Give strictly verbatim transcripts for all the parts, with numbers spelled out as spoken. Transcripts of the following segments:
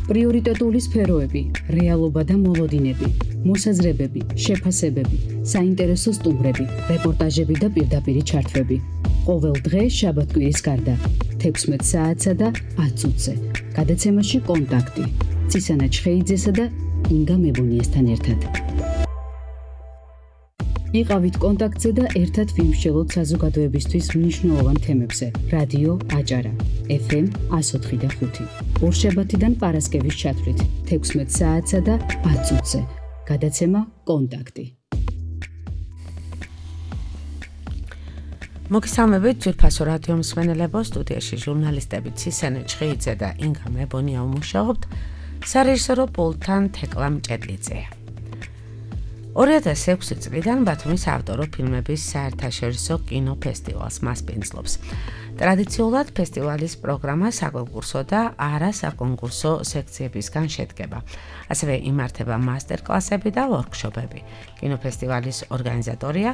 პრიორიტეტული სფეროები, რეალობა და მოლოდინები, მოსაზრებები, შეფასებები, საინტერესო სტუმრები, რეპორტაჟები და პირდაპირი ჩართვები. ყოველ დღე შაბათ-კვირის გარდა, თექვსმეტ საათსა და ათ წუთზე. გადაცემაში კონტაქტი. ცისანა ჩხეიძესა და ინგა მებუნიესთან ერთად. იყავით კონტაქტზე და ერთად ვიმსჯელოთ საზოგადოებისთვის მნიშვნელოვან თემებზე. რადიო აჭარა, ეფ ემ εκατო ოთხი და ხუთი. ორშაბათიდან პარასკევის ჩათვლით, თექვსმეტ საათსა და ათ წუთზე. გადაცემა კონტაქტი. მოგესალმებით ძვირფასო რადიო მსმენელებო, სტუდიაში ჟურნალისტები ცისანა ჩხეიძე და ინგა მებონია უმუშაობთ, სარეჟისორო პულტთან თეკლა მჭედლიძეა. ორი ათას ექვსი წლიდან ბათუმის ავტორო ფილმების საერთაშორისო კინოფესტივალს მასპინძლობს. ტრადიციულად ფესტივალის პროგრამა საკონკურსო და არასაკონკურსო სექციებისგან შედგება. ასევე იმართება მასტერკლასები და ვორქშოპები. კინოფესტივალის ორგანიზატორია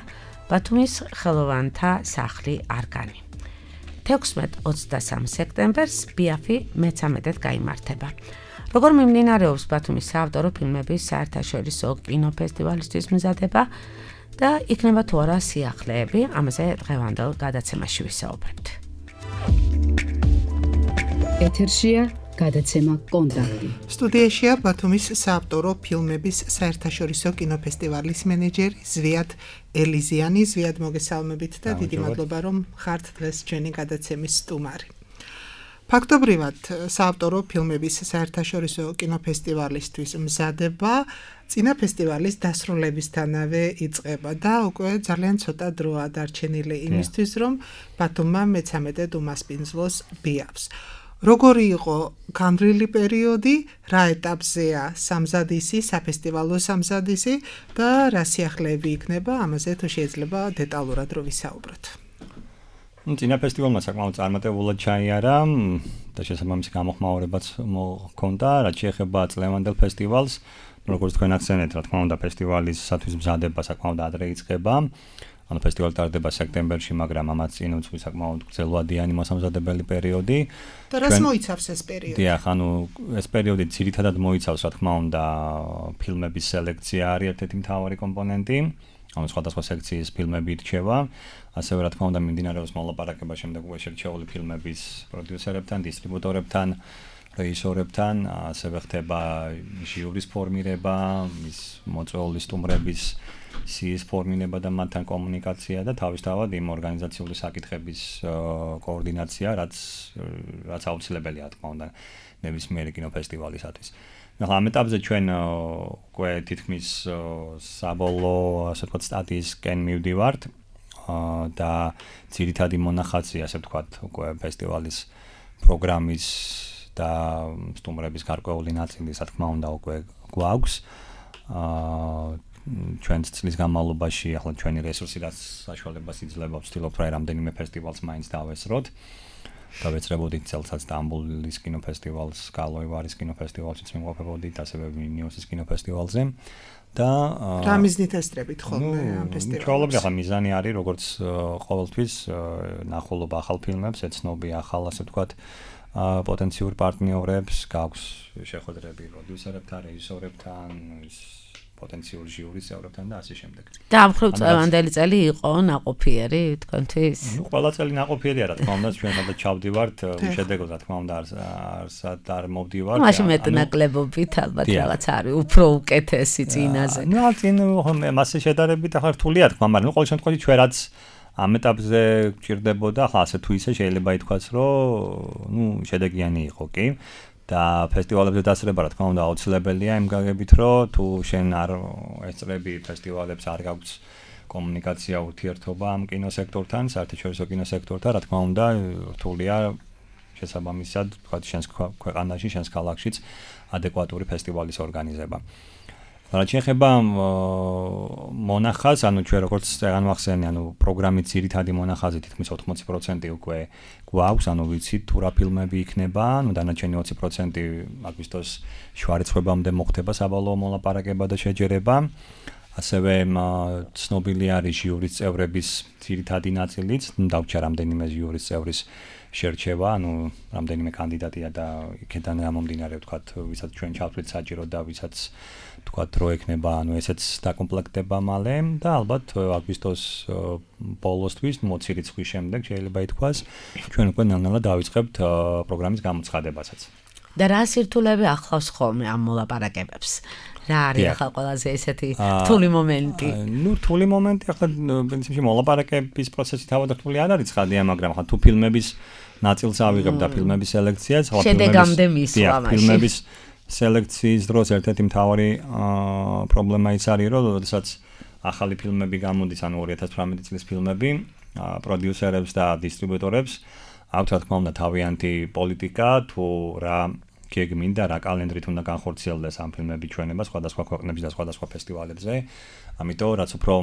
ბათუმის ხელოვანთა სახლი არგანი. თექვსმეტ ოცდასამ სექტემბერს ბიაფი მეცამეტედ გაიმართება. როგორ მიმდინარეობს ბათუმის საავტორო ფილმების საერთაშორისო კინოფესტივალისთვის მზადება და იქნება თუ არა სიახლეები, ამაზე დღევანდელ გადაცემაში ვისაუბრებთ. ეთერშია გადაცემა კონტაქტი. სტუდიაშია ბათუმის საავტორო ფილმების საერთაშორისო კინოფესტივალის მენეჯერი ზვიად ელიზიანი. ზვიად, მოგესალმებით და დიდი მადლობა რომ ხართ დღეს ჩვენი გადაცემის სტუმარი. ფაქტობრივად საავტორო ფილმების საერთაშორისო კინოფესტივალისთვის მზადება წინა ფესტივალის დასრულებისთანავე იწყება და უკვე ძალიან ცოტა დროა დარჩენილი იმისთვის, რომ ბათუმმა მეცამეტედ უმასპინძლოს ბიაფს. როგორი იყო განვლილი პერიოდი, რა ეტაპზეა სამზადისი, საფესტივალო სამზადისი და რა სიახლეები იქნება, ამაზე თუ შეიძლება დეტალურად რო ვისაუბროთ. წინა ფესტივალმა საკმაოდ წარმატებულად ჩაიარა და შესაბამისი გამოხმაურებაც მოხდა, რაც შეეხება წლევანდელ ფესტივალს. როგორც თქვენ ახსენეთ, რა თქმა უნდა, ფესტივალისათვის მზადება საკმაოდ ადრე იწყება. ანუ ფესტივალი ტარდება სექტემბერში, მაგრამ ამაც წინ უძღვის საკმაოდ გრძელვადიანი მოსამზადებელი პერიოდი. და რას მოიცავს ეს პერიოდი? დიახ, ანუ ეს პერიოდი ძირითადად მოიცავს, რა თქმა უნდა, ფილმების სელექცია არის ერთ-ერთი მთავარი კომპონენტი. ანუ სხვადასხვა სექციის ფილმები ირჩევა. ასევე რა თქმა უნდა მიმდინარეობს მოლაპარაკება შემდეგ უკვე შერჩეული ფილმების პროდიუსერებთან, დისტრიბუტორებთან, რეჟისორებთან, ასევე ხდება ჟიურის ფორმირება, მის მოწვეული სტუმრების სიის ფორმირება და მათთან კომუნიკაცია და თავისთავად იმ ორგანიზაციული საკითხების კოორდინაცია, რაც რაც აუცილებელია, რა თქმა უნდა, ნებისმიერი კინოფესტივალისათვის. ახლა ამ ეტაპზე ჩვენ უკვე თითქმის საბოლოო, ასე ვთქვათ, სტადიისკენ მივდივართ და ძირითადი მონახაზი, ასე ვთქვათ, უკვე ფესტივალის პროგრამის და სტუმრების გარკვეული ნაწილი, რა თქმა უნდა, უკვე გვაქვს. ჩვენ წლის განმავლობაში, ახლა ჩვენი რესურსი რაც საშუალებას იძლევა, ვცდილობთ რა რამდენიმე ფესტივალს მაინც დავესროთ. დავეცრებოდით წელსაც სტამბოლის კინოფესტივალს, კალოევარის კინოფესტივალშიც მიმყოფებოდით, ასევე ვილნიუსის კინოფესტივალზე. და რა მიზნით ესწრებით ხოლმე ამ ფესტივალს? ჩვეულებრივ ახლა მიზანი არის, როგორც ყოველთვის, ნახულობა ახალ ფილმებს, ეცნობი ახალ, ასე ვთქვათ, პოტენციურ პარტნიორებს, გაქვს შეხვედრები პროდიუსერებთან, რეჟისორებთან, პოტენციურ ჟიურის წევრებთან და ასე შემდეგ. და ამ მხრივ წლევანდელი წელი იყო ნაყოფიერი თქვენთვის? ნუ ყველა წელი ნაყოფიერია, რა თქმა უნდა, ჩვენ სადაც ჩავდივართ, უშედეგოდ, რა თქმა უნდა, არსად არ მოვდივართ. მაშინ მეტნაკლებობით ალბათ რაღაც არის უფრო უკეთესი წინაზე. ნუ წინ მასე შედარებით ახლა რთულია თქმა, მაგრამ ნუ ყოველ შემთხვევაში ჩვენ რაც ამ ეტაპზე გჭირდებოდა, ახლა ასე თუ ისე შეიძლება ითქვას, რომ ნუ შედეგიანი იყო კი. და ფესტივალებზე დასწრება, რა თქმა უნდა, აუცილებელია იმ გაგებით, რომ თუ შენ არ ესწრები ფესტივალებს, არ გაქვს კომუნიკაცია, ურთიერთობა ამ კინოსექტორთან, საერთაშორისო კინოსექტორთან, რა თქმა უნდა, რთულია შესაბამისად, თქვა შენს ქვეყანაში, შენს ქალაქშიც ადეკვატური ფესტივალის ორგანიზება. რაც შეეხება მონახაზს, ანუ ჩვენ როგორც განვახსენე, ანუ პროგრამის ძირითადი მონახაზი თითქმის ოთხმოცი პროცენტი უკვე გვაქვს, ანუ ვიცით თუ რა ფილმები იქნება, ანუ დანარჩენი ოცი პროცენტი აგვისტოს შუარიცხვებამდე მოხდება საბოლოო მოლაპარაკება და შეჯერება. ასევე ცნობილი არის ჟიურის წევრების ძირითადი ნაწილიც, დავჭა რამდენიმე ჟიურის წევრის შერჩევა, ანუ რამდენიმე კანდიდატია და იქიდან გამომდინარე ვთქვათ, ვისაც ჩვენ ჩავთვლით საჭირო და ვისაც ვთქვათ, რო ექნება, ანუ ესეც დაკომპლექტდება მალე და ალბათ აგვისტოს ბოლოსთვის, მოცი რიცხვის შემდეგ შეიძლება ითქვას, ჩვენ უკვე ნელ-ნელა დავიწყებთ პროგრამის გამოცხადებასაც. და რა სირთულეები ახლავს ხოლმე ამ მოლაპარაკებებს? რა არის ახლა ყველაზე ესეთი რთული მომენტი? ნუ რთული მომენტი ახლა პრინციპში მოლაპარაკების პროცესი თავად რთული არ არის ცხადია, მაგრამ ახლა თუ ფილმების ნაწილს ავიღებ და ფილმების სელექციას, ახლა შედეგამდე მისვლა მაშინ. ფილმების სელექციის დროს ერთ-ერთი მთავარი პრობლემა ის არის, რომ როდესაც ახალი ფილმები გამოდის, ანუ ორი ათას თვრამეტი წლის ფილმები, პროდიუსერებს და დისტრიბუტორებს აქვთ რა თქმა უნდა თავიანთი პოლიტიკა, თუ რა გეგმინდა რა კალენდრით უნდა განხორციელდეს ამ ფილმების ჩვენება სხვადასხვა ქვეყნებში და სხვადასხვა ფესტივალებზე. ამიტომ რაც უფრო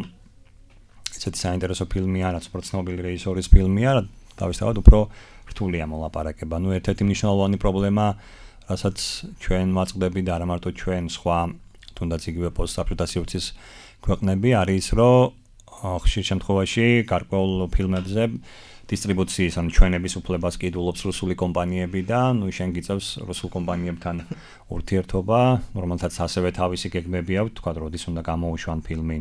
ესეთი საინტერესო ფილმია, რაც უფრო ცნობილი რეჟისორის ფილმია, თავისთავად უფრო რთულია მოლაპარაკება. ნუ ერთ-ერთი მნიშვნელოვანი პრობლემა, რასაც ჩვენ ვაწყდები და არა მარტო ჩვენ, სხვა თუნდაც იგივე პოსტსაბჭოთა სივრცის ქვეყნები არის, რომ ხშირ შემთხვევაში გარკვეულ ფილმებზე დისტრიბუციის ან ჩვენების უფლებას კიდულობს რუსული კომპანიები და ნუ შენ გიწევს რუსულ კომპანიებთან ურთიერთობა, რომელთაც ასევე თავისი გეგმები აქვს, თქვა როდის უნდა გამოუშვან ფილმი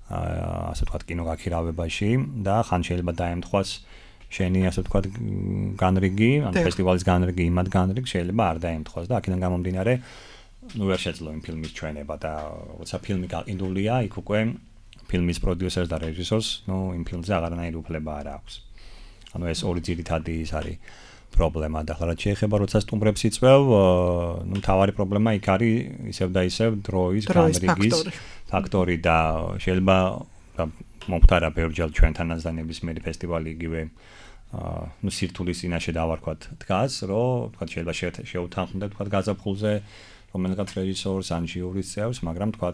ასე ვთქვათ კინოგაქირავებაში და ხან შეიძლება დაემთხვას შენი ასე ვთქვათ განრიგი, ან ფესტივალის განრიგი, იმად განრიგ შეიძლება არ დაემთხვას და აქედან გამომდინარე ნუ ვერ შეძლო იმ ფილმის ჩვენება და როცა ფილმი გაყიდულია, იქ უკვე ფილმის პროდიუსერს და რეჟისორს ნუ იმ ფილმზე აღარანაირი უფლება არ აქვს. ანუ ეს ორი ძირითადი ის არის პრობლემა და ახლა რაც შეეხება როცა სტუმრებს იწვევ, ნუ მთავარი პრობლემა იქ არის ისევ და ისევ დროის განრიგის ფაქტორი და შეიძლება მომხდარა ბევრჯერ ჩვენთანაც და ნებისმიერი ფესტივალი იგივე ნუ სირთულის წინაშე დავარქვათ დგას, რომ თქვა შეიძლება შეუთანხმდეთ თქვა გაზაფხულზე რომელიღაც რეჟისორს ან ჟიურის წევრს, მაგრამ თქვა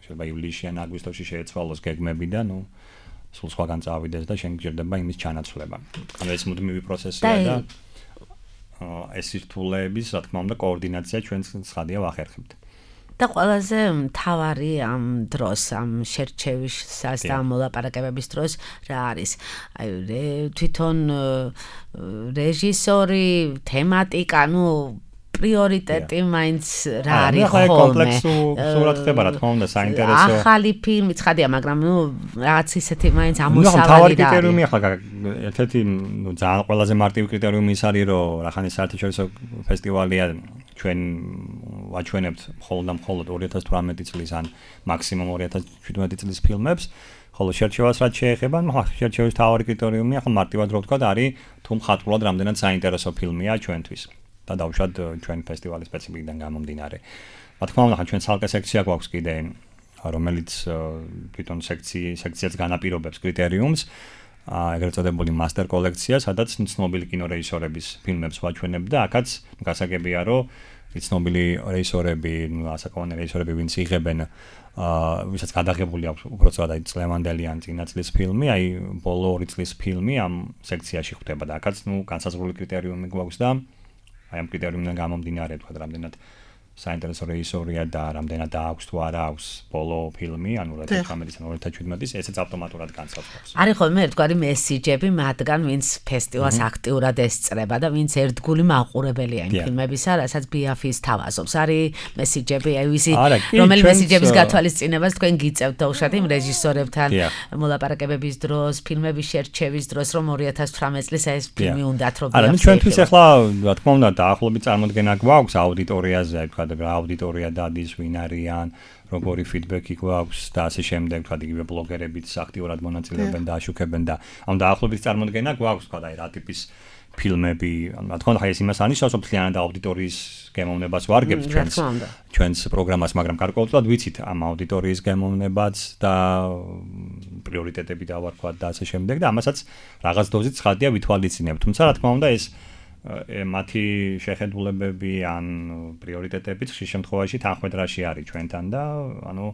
შეიძლება ივლისში ან აგვისტოში შეეცვალოს გეგმები და ნუ სულ სხვაგან წავიდეს და შენ გჭირდება იმის ჩანაცვლება. ანუ ეს მუდმივი პროცესია და ეს სირთულეების, რა თქმა უნდა, კოორდინაცია ჩვენ ცხადია ვახერხებთ. და ყველაზე მთავარი ამ დროს, ამ შერჩევისას და მოლაპარაკებების დროს რა არის? აი თვითონ რეჟისორი, თემატიკა, ნუ პრიორიტეტი მაინც რა არის ხოლმე. ახლა კომპლექსურად ხდება რა თქმა უნდა საინტერესო. ახალი ფილმი ცხადია, მაგრამ ნუ რაღაც ისეთი მაინც ამოსავალი რა არის. თავი კრიტერიუმი ახლა ერთ-ერთი ნუ ძალიან ყველაზე მარტივი კრიტერიუმი ის არის, რომ რახანის საერთაშორისო ფესტივალია ჩვენ ვაჩვენებთ მხოლოდ და მხოლოდ ორი ათას თვრამეტი წლის ან მაქსიმუმ ორი ათას შვიდმეტი წლის ფილმებს, ხოლო შერჩევას რაც შეეხება, ახლა შერჩევის თავი კრიტერიუმი ახლა მარტივად რო ვთქვა, არის თუ მხატვრულად რამდენად საინტერესო ფილმია ჩვენთვის. და დავუშვათ ჩვენ ფესტივალის სპეციფიკიდან გამომდინარე. რა თქმა უნდა, ჩვენ ცალკე სექცია გვაქვს კიდე, რომელიც თვითონ სექციის სექციაც განაპირობებს კრიტერიუმს, ეგრეთ წოდებული მასტერ კოლექცია, სადაც ცნობილი კინორეჟისორების ფილმებს ვაჩვენებ და აქაც გასაგებია, რომ ცნობილი რეჟისორები, ასაკოვანი რეჟისორები, ვინც იღებენ, ვისაც გადაღებული აქვს უბრალოდ აი წლევანდელი ან წინა წლის ფილმი, აი ბოლო ორი წლის ფილმი ამ სექციაში ხვდება და აქაც ნუ განსაზღვრული კრიტერიუმი გვაქვს და აი ამ კრიტერიუმიდან გამომდინარე თქვა რამდენად საინტერესო რეჟისორია და რამდენად აქვს თუ არა აქვს ბოლო ფილმი, ანუ ორი ათას თვრამეტი ან ორი ათას შვიდმეტი, ესეც ავტომატურად განსაზღვრავს. არის ხოლმე ერთგვარი მესიჯები მათგან, ვინც ფესტივალს აქტიურად ესწრება და ვინც ერთგული მაყურებელია იმ ფილმებისა, რასაც ბიაფის თავაზობს. არის მესიჯები, აი ვისი რომელი მესიჯების გათვალისწინებას თქვენ გიწევთ დაუშვათ იმ რეჟისორებთან მოლაპარაკებების დროს, ფილმების შერჩევის დროს, რომ ორი ათას თვრამეტი წლის ეს ფილმი უნდათ რომ არა, ჩვენთვის ახლა რა თქმა უნდა დაახლოებით წარმოდგენა გვაქვს აუდიტორიაზე, აი თქვა რა აუდიტორია დადის, ვინ არიან, როგორი ფიდბექი გვაქვს და ასე შემდეგ, თქვა იგივე ბლოგერებიც აქტიურად მონაწილეობენ და აშუქებენ და ამ დაახლოებით წარმოდგენა გვაქვს, თქვა აი რა ტიპის ფილმები, რა თქმა უნდა, ეს იმას ანიშნავს, რომ მთლიანად აუდიტორიის გემოვნებას ვარგებთ ჩვენს ჩვენს პროგრამას, მაგრამ გარკვეულწილად ვიცით ამ აუდიტორიის გემოვნებაც და პრიორიტეტები დავარქვათ და ასე შემდეგ და ამასაც რაღაც დოზით ცხადია ვითვალისწინებთ. თუმცა რა თქმა უნდა ეს მათი შეხედულებები ან პრიორიტეტებიც ხშირ შემთხვევაში თანხმედრაში არის ჩვენთან და ანუ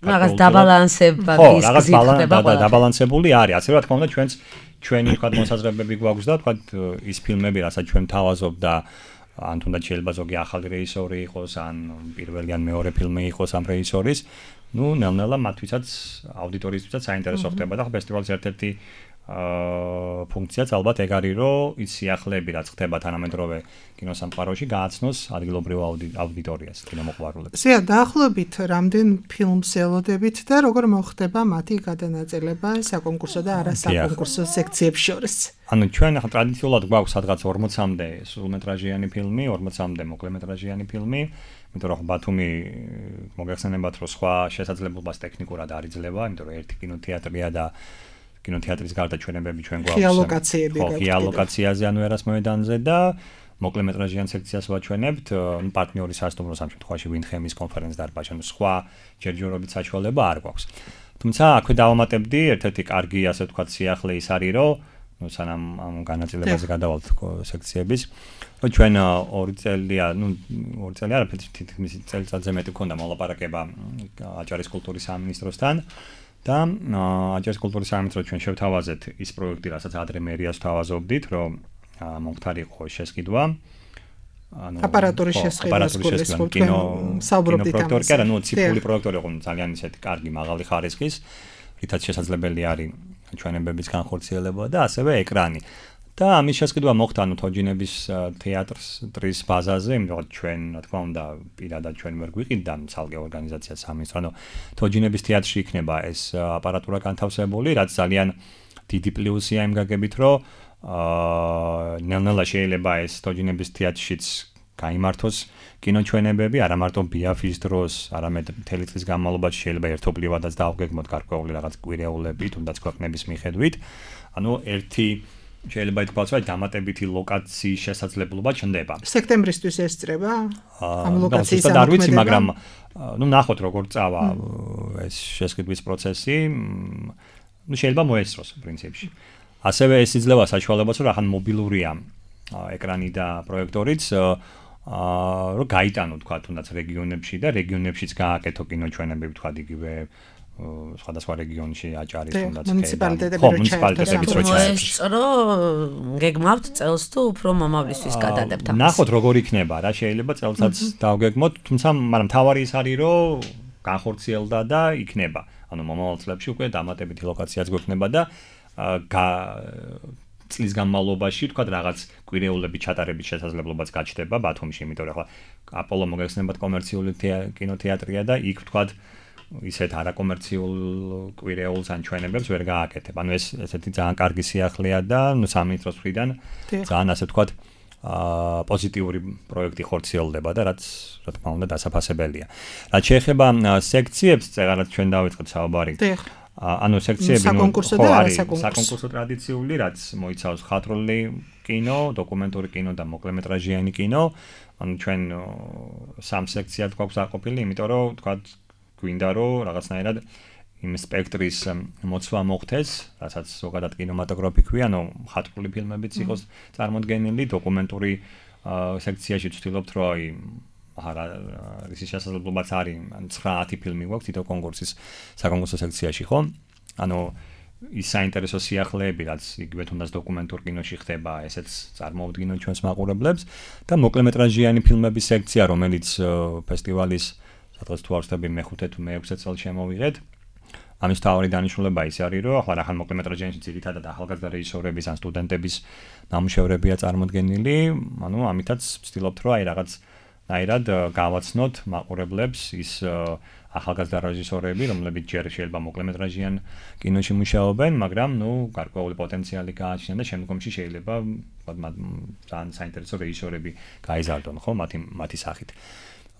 რაღაც დაბალანსება ის ხდება და დაბალანსებული არის. ასე რა თქმა უნდა ჩვენს ჩვენი თქვა მოსაზრებები გვაქვს და თქვა ის ფილმები, რასაც ჩვენ თავაზობ და ან თუნდაც შეიძლება ზოგი ახალი რეჟისორი იყოს, ან პირველი ან მეორე ფილმი იყოს ამ რეჟისორის, ნუ ნელ-ნელა მათთვისაც აუდიტორიისთვისაც საინტერესო ხდება და ფესტივალის ერთ-ერთი აა ფუნქციაც ალბათ ეგ არის, რომ ის სიახლეები რაც ხდება თანამედროვე კინოსამყაროში გააცნოს ადგილობრივ აუდიტორიას, კინომოყვარულებს. ზეა დაახლოებით რამდენ ფილმს ელოდებით და როგორ მოხდება მათი გადანაწილება საკონკურსო და არასაკონკურსო სექციებს შორის? ანუ ჩვენ ახლა ტრადიციულად გვაქვს სადღაც ორმოცამდე სრულმეტრაჟიანი ფილმი, ორმოცამდე მოკლემეტრაჟიანი ფილმი, იმიტომ რომ ბათუმი მოგეხსენებათ, რომ სხვა შესაძლებლობას ტექნიკურად არ იძლევა, იმიტომ რომ ერთი კინოთეატრია და კინოთეატრის გარდა ჩვენებები ჩვენ გვაქვს ხიალოკაციები გაქვთ. ხიალოკაციაზე ანუ ერას მოედანზე და მოკლემეტრაჟიან სექციას ვაჩვენებთ, ნუ პარტნიორის სასტუმროს ამ შემთხვევაში ვინხემის კონფერენც დარბაზი, ანუ სხვა ჯერჯერობით საშუალება არ გვაქვს. თუმცა აქვე დავამატებდი, ერთ-ერთი კარგი ასე ვთქვათ სიახლე ის არის, რომ ნუ სანამ ამ განაწილებაზე გადავალთ სექციების, რომ ჩვენ ორი წელია, ნუ ორი წელი არაფერი, თითქმის წელიწადზე მეტი მქონდა მოლაპარაკება აჭარის კულტურის სამინისტროსთან. და აჭარის კულტურის სამინისტროს ჩვენ შევთავაზეთ ის პროექტი, რასაც ადრე მერიას ვთავაზობდით, რომ მომხდარიყო შესყიდვა. ანუ აპარატურის შესყიდვა, კინო საუბრობდით ამაზე. კი, ანუ ციფრული პროექტორი იყო ძალიან ისეთი კარგი, მაღალი ხარისხის, რითაც შესაძლებელი არის ჩვენებების განხორციელება და ასევე ეკრანი. და ამის შესყიდვა მოხდა ანუ თოჯინების თეატრს ტრის ბაზაზე, იმიტომ რომ ჩვენ, რა თქმა უნდა, პირადად ჩვენ ვერ გვიყიდა ცალკე ორგანიზაცია სამინისტრო, ანუ თოჯინების თეატრში იქნება ეს აპარატურა განთავსებული, რაც ძალიან დიდი პლუსია იმ გაგებით, რომ აა ნელ-ნელა შეიძლება ეს თოჯინების თეატრშიც გაიმართოს კინოჩვენებები, არა მარტო ბიაფის დროს, არამედ მთელი წლის განმავლობაში შეიძლება ერთობლივადაც დავგეგმოთ გარკვეული რაღაც კვირეულები, თუნდაც ქვეყნების მიხედვით. ანუ ერთი შეიძლება ითქვას, რომ დამატებითი ლოკაციის შესაძლებლობა ჩნდება. სექტემბრისთვის ესწრება ამ ლოკაციის ამოქმედება? არ ვიცი, მაგრამ ნუ ნახოთ როგორ წავა ეს შესყიდვის პროცესი. ნუ შეიძლება მოესწროს პრინციპში. ასევე ეს იძლევა საშუალებას, რომ ახან მობილურია ეკრანი და პროექტორიც, აა რომ გაიტანო თქვა თუნდაც რეგიონებში და რეგიონებშიც გააკეთო კინოჩვენებები თქვა იგივე სხვადასხვა რეგიონში აჭარის თუნდაც მუნიციპალიტეტები რო ჩაერთო. გეგმავთ წელს თუ უფრო მომავლისთვის გადადებთ ამას? ნახოთ როგორ იქნება რა, შეიძლება წელსაც დავგეგმოთ, თუმცა მაგრამ თავარი ის არის, რომ განხორციელდა და იქნება. ანუ მომავალ წლებში უკვე დამატებითი ლოკაციაც გვექნება და წლის განმავლობაში თქვა რაღაც კვირეულები ჩატარების შესაძლებლობაც გაჩნდება ბათუმში, იმიტომ რომ ახლა აპოლო მოგეხსენებათ კომერციული კინოთეატრია და იქ თქვა ისეთ არაკომერციულ კვირეულს ან ჩვენებებს ვერ გააკეთებ. ანუ ეს ესეთი ძალიან კარგი სიახლეა და ნუ სამინისტროს მხრიდან ძალიან ასე ვთქვათ აა პოზიტიური პროექტი ხორციელდება და რაც რა თქმა უნდა დასაფასებელია. რაც შეეხება სექციებს, წეგანაც ჩვენ დავიწყეთ საუბარი. ანუ სექციები ნუ ხო არის საკონკურსო ტრადიციული, რაც მოიცავს ხატრული კინო, დოკუმენტური კინო და მოკლემეტრაჟიანი კინო. ანუ ჩვენ სამ სექციად გვაქვს აყოფილი, იმიტომ რომ ვთქვათ გვინდა რომ რაღაცნაირად იმ სპექტრის მოცვა მოხდეს, რასაც ზოგადად კინემატოგრაფი ქვია, ანუ ხატრული ფილმებიც იყოს წარმოდგენილი, დოკუმენტური სექციაში ვცდილობთ, რომ აი არა რის შესაძლებლობაც არის, ან ცხრაათი ფილმი გვაქვს თითო კონკურსის საკონკურსო სექციაში, ხო? ანუ ის საინტერესო სიახლეები, რაც იგივე თუნდაც დოკუმენტურ კინოში ხდება, ესეც წარმოუდგინოთ ჩვენს მაყურებლებს და მოკლემეტრაჟიანი ფილმების სექცია, რომელიც ფესტივალის სადღაც თუ არ ვცდები მეხუთე თუ მეექვსე წელს შემოვიღეთ. ამის თავი დანიშნულება ის არის, რომ ახლა რახან მოკლემეტრაჟიანში ძირითადად ახალგაზრდა რეჟისორების ან სტუდენტების ნამუშევრებია წარმოდგენილი, ანუ ამითაც ვცდილობთ, რომ აი რაღაც ნაირად გავაცნოთ მაყურებლებს ის ახალგაზრდა რეჟისორები, რომლებიც ჯერ შეიძლება მოკლემეტრაჟიან კინოში მუშაობენ, მაგრამ ნუ გარკვეული პოტენციალი გააჩნიათ და შემდგომში შეიძლება ძალიან საინტერესო რეჟისორები გაიზარდონ, ხო, მათი მათი სახით.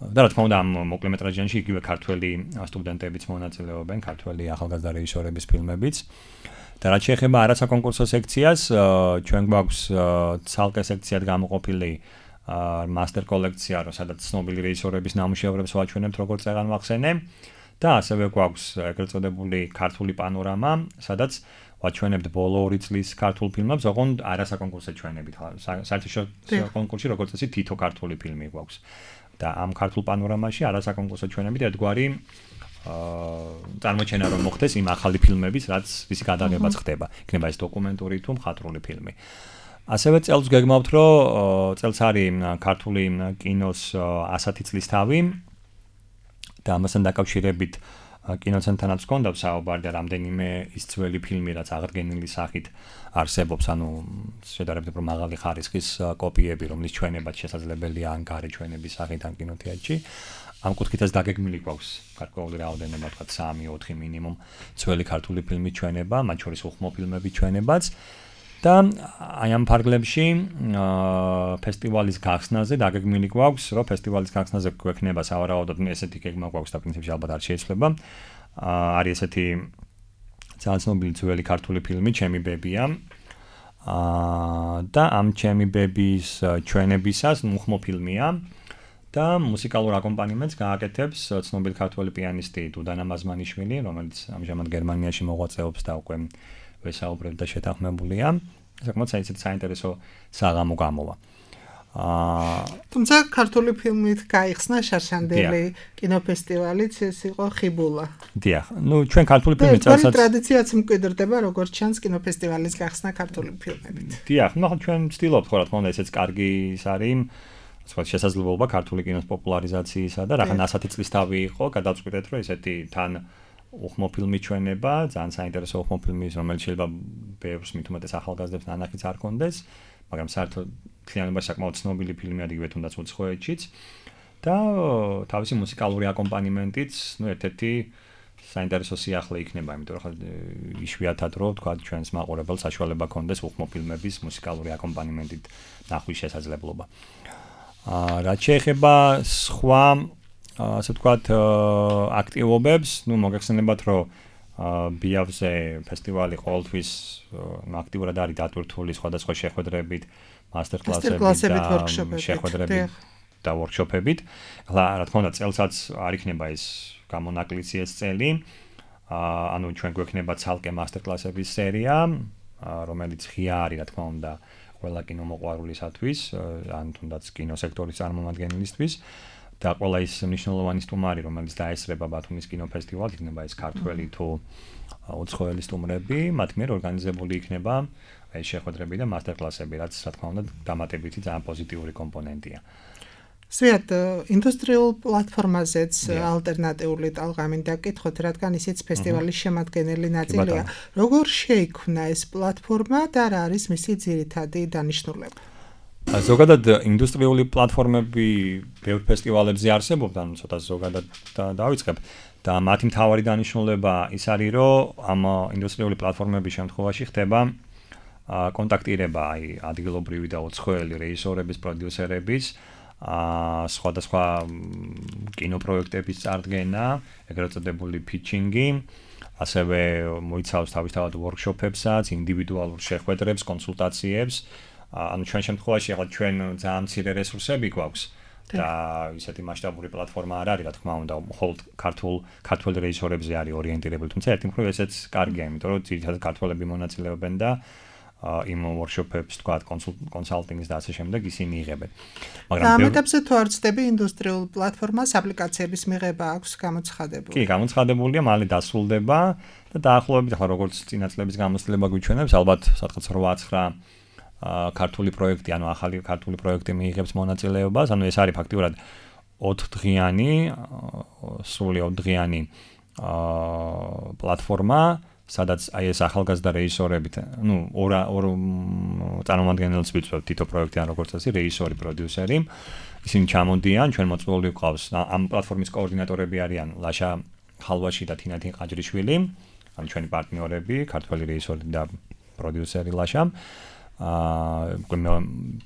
და რა თქმა უნდა ამ მოკლემეტრაჟიანში იგივე ქართველი სტუდენტებიც მონაწილეობენ, ქართველი ახალგაზრდა რეჟისორების ფილმებიც. და რაც შეეხება არასაკონკურსო სექციას, ჩვენ გვაქვს ცალკე სექციად გამოყოფილი მასტერ კოლექცია, სადაც ცნობილი რეჟისორების ნამუშევრებს ვაჩვენებთ, როგორც წეგან ვახსენე. და ასევე გვაქვს ეგრეთ წოდებული ქართული პანორამა, სადაც ვაჩვენებთ ბოლო ორი წლის ქართულ ფილმებს, ოღონდ არასაკონკურსო ჩვენებით. საერთაშორისო კონკურსში როგორც წესი თითო ქართული ფილმი გვაქვს. და ამ ქართულ პანორამაში არასაკონკურსო ჩვენებით ერთგვარი აა წარმოჩენა რომ მოხდეს იმ ახალი ფილმების, რაც ვისი გადაღებაც ხდება. იქნება ეს დოკუმენტური თუ მხატვრული ფილმი. ასევე წელს გეგმავთ, რომ წელს არის ქართული კინოს ასათი წლის თავი და ამასთან დაკავშირებით კინოცენტრთანაც გქონდა საუბარი და რამდენიმე ის ძველი ფილმი, რაც აღდგენილი სახით არსებობს, ანუ შედარებით უფრო მაღალი ხარისხის კოპიები, რომლის ჩვენებაც შესაძლებელია ან გარე ჩვენების სახით ან კინოთეატრში. ამ კუთხითაც დაგეგმილი გვაქვს გარკვეული რაოდენობა, თქვა სამი ოთხი მინიმუმ ძველი ქართული ფილმი ჩვენება, მათ შორის უხმო ფილმები ჩვენებაც. და აი ამ ფარგლებში ფესტივალის გახსნაზე დაგეგმილი გვაქვს, რომ ფესტივალის გახსნაზე გვექნება სავარაუდოდ ესეთი გეგმა გვაქვს და პრინციპში ალბათ არ შეიძლება. არის ესეთი ძალიან ცნობილი ძველი ქართული ფილმი ჩემი ბებია. და ამ ჩემი ბების ჩვენებისას უხმო ფილმია და მუსიკალურ აკომპანიმენტს გააკეთებს ცნობილი ქართველი პიანისტი დუდანა მაზმანიშვილი, რომელიც ამჟამად გერმანიაში მოღვაწეობს და უკვე ვესაუბრებ და შეთანხმებულია. საკმაოდ საინტერესო საღამო გამოვა. თუმცა ქართული ფილმით გაიხსნა შარშანდელი კინოფესტივალიც ეს იყო ხიბულა. დიახ, ну ჩვენ ქართული ფილმი წელსაც ტრადიციაც მკვიდრდება როგორც ჩანს კინოფესტივალის გახსნა ქართული ფილმებით. დიახ, ну ჩვენ ვცდილობთ ხო რა თქმა უნდა ესეც კარგი ის არის. სხვა შესაძლებლობა ქართული კინოს პოპულარიზაციისა და რაღაც ასეთი წლის თავი იყო, გადავწყვიტეთ რომ ესეთი თან უხმო ფილმი ჩვენება, ძალიან საინტერესო უხმო ფილმი, რომელიც შეიძლება ბევრს მით უმეტეს ახალგაზრდებს ნანახიც არ კონდეს, მაგრამ საერთოდ მთლიანობაში საკმაოდ ცნობილი ფილმია იგივე თუნდაც უცხოეთშიც და თავისი მუსიკალური აკომპანიმენტიც, ну ერთ-ერთი საინტერესო სიახლე იქნება, იმიტომ რომ იშვიათად რო თქვა ჩვენს მაყურებელს საშუალება კონდეს უხმო ფილმების მუსიკალური აკომპანიმენტით ნახვის შესაძლებლობა. აა რაც შეეხება სხვა ასე ვთქვათ აქტივობებს, ну მოგეხსენებათ რომ ბიავზე ფესტივალი ყოველთვის აქტიურად არის დატვირთული სხვადასხვა შეხვედრებით, მასტერკლასებით და შეხვედრებით და ვორქშოპებით. ახლა რა თქმა უნდა წელსაც არ იქნება ეს გამონაკლისი ეს წელი. ანუ ჩვენ გვექნება ცალკე მასტერკლასების სერია, რომელიც ღია არის რა თქმა უნდა ყველა კინომოყვარულისათვის, ან თუნდაც კინოსექტორის წარმომადგენლისთვის. და ყველა ის მნიშვნელოვანი სტუმარი, რომელიც დაესწრება ბათუმის კინოფესტივალს, იქნება ეს ქართველი თუ უცხოელი სტუმრები, მათ მიერ ორგანიზებული იქნება ეს შეხვედრები და მასტერკლასები, რაც რა თქმა უნდა დამატებითი ძალიან პოზიტიური კომპონენტია. სვიათ, ინდუსტრიულ პლატფორმაზეც ალტერნატიული ტალღა მინდა გკითხოთ, რადგან ისიც ფესტივალის შემადგენელი ნაწილია. როგორ შეიქმნა ეს პლატფორმა და რა არის მისი ძირითადი დანიშნულება? ზოგადად ინდუსტრიული პლატფორმები ბევრ ფესტივალებზე არსებობდა, ანუ ცოტა ზოგადად დავიწყებ და მათი მთავარი დანიშნულება ის არის, რომ ამ ინდუსტრიული პლატფორმების შემთხვევაში ხდება კონტაქტირება აი ადგილობრივი და უცხოელი რეჟისორების, პროდიუსერების, სხვადასხვა კინოპროექტების წარდგენა, ეგრეთ წოდებული pitching-ი, ასევე მოიცავს თავისთავად ვორქშოპებსაც, ინდივიდუალურ შეხვედრებს, კონსულტაციებს. ანუ ჩვენ შემთხვევაში ახლა ჩვენ ძალიან მცირე რესურსები გვაქვს და ისეთი მასშტაბური პლატფორმა არ არის, რა თქმა უნდა, მხოლოდ ქართულ ქართველ რეჟისორებზე არის ორიენტირებული, თუმცა ერთი მხრივ ესეც კარგია, იმიტომ რომ ძირითადად ქართველები მონაწილეობენ და იმ ვორქშოპებს, თქვა, კონსალტინგს და ასე შემდეგ ისინი იღებენ. მაგრამ ამ ეტაპზე თუ არ ცდები ინდუსტრიულ პლატფორმას აპლიკაციების მიღება აქვს გამოცხადებული. კი, გამოცხადებულია, მალე დასრულდება და დაახლოებით ახლა როგორც წინა წლების გამოცდილება გვიჩვენებს, ალბათ სადღაც რვა ცხრა ქართული პროექტი, ანუ ახალი ქართული პროექტი მიიღებს მონაწილეობას, ანუ ეს არის ფაქტიურად ოთხდღიანი, სრული ოთხდღიანი პლატფორმა, სადაც აი ეს ახალგაზრდა რეჟისორები, ну, ორ ორ წარმომადგენელს ვიწვევთ თითო პროექტიდან, როგორც წესი, რეჟისორი, პროდიუსერი. ისინი ჩამოდიან, ჩვენ მოწვეული გვყავს. ამ პლატფორმის კოორდინატორები არიან ლაშა ხალვაში და თინათინ ყაჯრიშვილი, ანუ ჩვენი პარტნიორები, ქართველი რეჟისორი და პროდიუსერი ლაშა. აა მე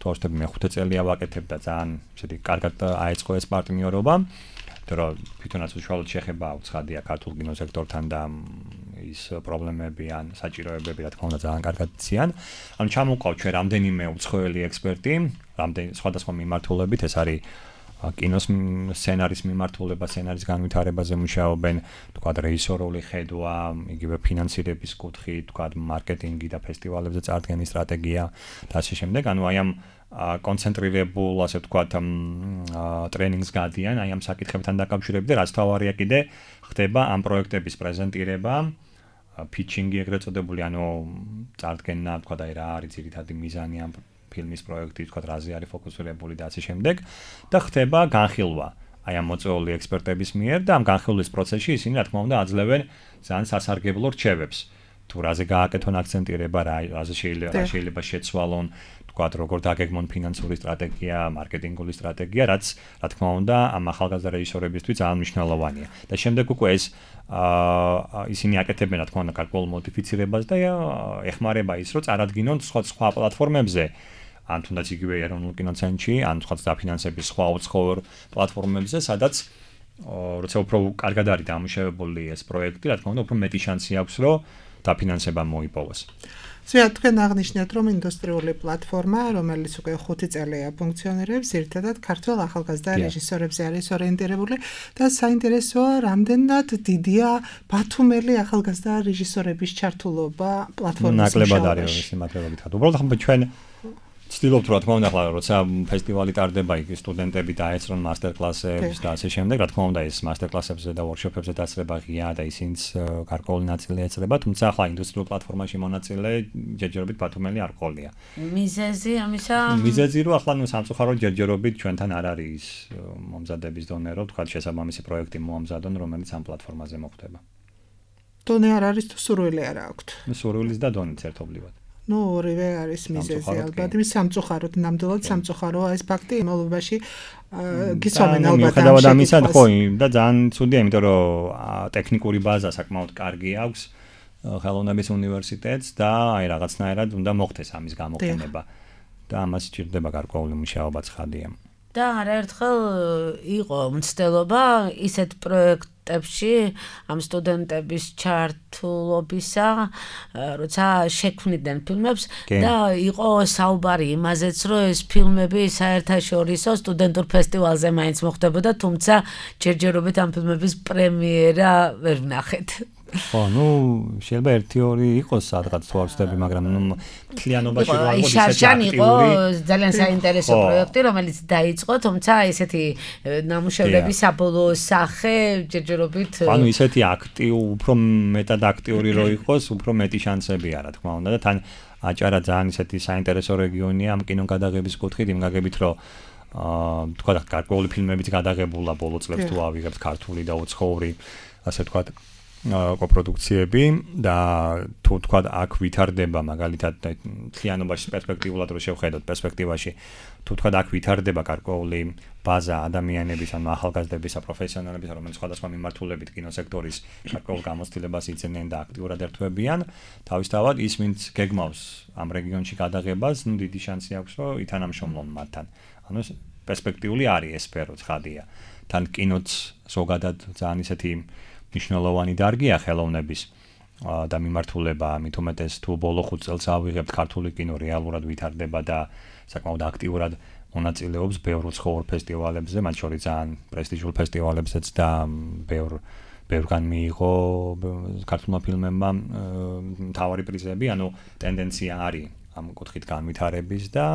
თორსტები მეხუთე წელია ვაკეთებ და ძალიან ისეთი კარგად აეწყო ეს პარტნიორობა. იმიტომ რომ თვითონაც უშუალოდ შეხება უცხადია ქართულ კინოსექტორთან და ის პრობლემები ან საჭიროებები რა თქმა უნდა ძალიან კარგად იციან. ანუ ჩამოყავ ჩვენ რამდენიმე უცხოელი ექსპერტი, რამდენი სხვადასხვა მიმართულებით, ეს არის კინოს სცენარის მიმართულება, სცენარის განვითარებაზე მუშაობენ, თქვა რეჟისორული ხედვა, იგივე ფინანსირების კუთხით, თქვა მარკეტინგი და ფესტივალებზე წარდგენის სტრატეგია და ასე შემდეგ. ანუ აი ამ კონცენტრირებულ, ასე ვთქვათ, ტრენინგს გადიან აი ამ საკითხებთან დაკავშირებით და რაც თავარია კიდე ხდება ამ პროექტების პრეზენტირება, pitching-ი ეგრეთ წოდებული, ანუ წარდგენა, ვთქვათ, აი რა არის ძირითადი მიზანი ამ ფილმის პროექტი, ვთქვათ, რაზე არის ფოკუსირებული და ასე შემდეგ და ხდება განხილვა. აი ამ მოწვეული ექსპერტების მიერ და ამ განხილვის პროცესში ისინი რა თქმა უნდა აძლევენ ძალიან სასარგებლო რჩევებს. თუ რაზე გააკეთონ აქცენტირება, რაზე შეიძლება შეიძლება შეცვალონ, თქვათ როგორ დაგეგმონ ფინანსური სტრატეგია, მარკეტინგული სტრატეგია, რაც რა თქმა უნდა ამ ახალგაზრდა რეჟისორებისთვის ძალიან მნიშვნელოვანია. და შემდეგ უკვე ეს აა ისინი აკეთებენ რა თქმა უნდა გარკვეულ მოდიფიცირებას და ეხმარება ის, რომ წარადგინონ სხვა სხვა პლატფორმებზე, ან თუნდაც იგივე ეროვნულ კინოცენტრში, ან სხვა დაფინანსების სხვა უცხოურ პლატფორმებზე, სადაც როცა უფრო კარგად არის დამუშავებული ეს პროექტი, რა თქმა უნდა, უფრო მეტი შანსი აქვს, რომ დაფინანსება მოიპოვოს. ზოგადად თქვენ აღნიშნეთ, რომ ინდუსტრიული პლატფორმა, რომელიც უკვე ხუთი წელია ფუნქციონირებს, ერთადად ქართველ ახალგაზრდა რეჟისორებზე არის ორიენტირებული და საინტერესოა, რამდენად დიდია ბათუმელი ახალგაზრდა რეჟისორების ჩართულობა პლატფორმის მუშაობაში. ნაკლებად არის ეს იმათება გითხრათ. უბრალოდ ახლა ჩვენ ვცდილობთ რა თქმა უნდა, ახლა როცა ფესტივალი ტარდება, იქ სტუდენტები დაეცრონ მასტერკლასებს და ასე შემდეგ, რა თქმა უნდა, ეს მასტერკლასებზე და ვორქშოპებზე დაწება ღია და ისინიც გარკვეული ნაწილი ეწრება, თუმცა ახლა ინდუსტრიულ პლატფორმაში მონაწილე ჯერჯერობით ბათუმელი არ ყოლია. მიზეზი ამისა? მიზეზი რომ ახლა ნუ სამწუხაროდ ჯერჯერობით ჩვენთან არ არის მომზადების დონე, რომ თქვა შესაბამისი პროექტი მოამზადონ, რომელიც ამ პლატფორმაზე მოხდება. დონე არ არის თუ სურვილი არ აქვთ? სურვილის და დონეც ერთობლივად. ნუ ორივე არის მიზეზი ალბათ. იმის სამწუხაროდ, ნამდვილად სამწუხაროა ეს ფაქტი იმალობაში გიცნობენ ალბათ. მიუხედავად ამისა, ხო, და ძალიან ცუდია, იმიტომ რომ ტექნიკური ბაზა საკმაოდ კარგი აქვს ხელოვნების უნივერსიტეტს და აი რაღაცნაირად უნდა მოხდეს ამის გამოყენება. და ამას სჭირდება გარკვეული მუშაობა ცხადია. და არაერთხელ იყო მცდელობა ისეთ პროექტებში ამ სტუდენტების ჩართულობისა, როცა შექმნიდნენ ფილმებს და იყო საუბარი იმაზეც, რომ ეს ფილმები საერთაშორისო სტუდენტურ ფესტივალზე მაინც მოხდებოდა, თუმცა ჯერჯერობით ამ ფილმების პრემიერა ვერ ვნახეთ. ხო, ნუ შეიძლება ერთი ორი იყოს სადღაც თუ არ ვცდები, მაგრამ ნუ მთლიანობაში რა იყო ისეთი იყო ძალიან საინტერესო პროექტი, რომელიც დაიწყო, თუმცა ესეთი ნამუშევრების საბოლოო სახე ჯერჯერობით ანუ ისეთი აქტიო, უფრო მეტად აქტიური რო იყოს, უფრო მეტი შანსებია, რა თქმა უნდა და თან აჭარა ძალიან ისეთი საინტერესო რეგიონია ამ კინოგადაღების კუთხით, იმ გაგებით რომ აა თქვა გარკვეული ფილმებიც გადაღებულა ბოლო წლებს თუ ავიღებთ ქართული და უცხოური, ასე თქვა კოპროდუქციები და თუ თქვა აქ ვითარდება მაგალითად მთლიანობაში პერსპექტიულად რო შევხედოთ პერსპექტივაში თუ თქვა აქ ვითარდება გარკვეული ბაზა ადამიანების ან ახალგაზრდების პროფესიონალების რომელიც სხვადასხვა მიმართულებით კინოსექტორის გარკვეულ გამოცდილებას იცენენ და აქტიურად ერთვებიან თავისთავად ის ვინც გეგმავს ამ რეგიონში გადაღებას ნუ დიდი შანსი აქვს რომ ითანამშრომლონ მათთან ანუ პერსპექტიული არის ეს სფერო ცხადია თან კინოც ზოგადად ძალიან ისეთი მნიშვნელოვანი დარგია ხელოვნების და მიმართულება, ამით უმეტეს თუ ბოლო ხუთ წელს ავიღებთ ქართული კინო რეალურად ვითარდება და საკმაოდ აქტიურად მონაწილეობს ბევრ უცხოურ ფესტივალებზე, მათ შორის ძალიან პრესტიჟულ ფესტივალებზეც და ბევრ ბევრგან მიიღო ქართულმა ფილმებმა მთავარი პრიზები, ანუ ტენდენცია არის ამ კუთხით განვითარების და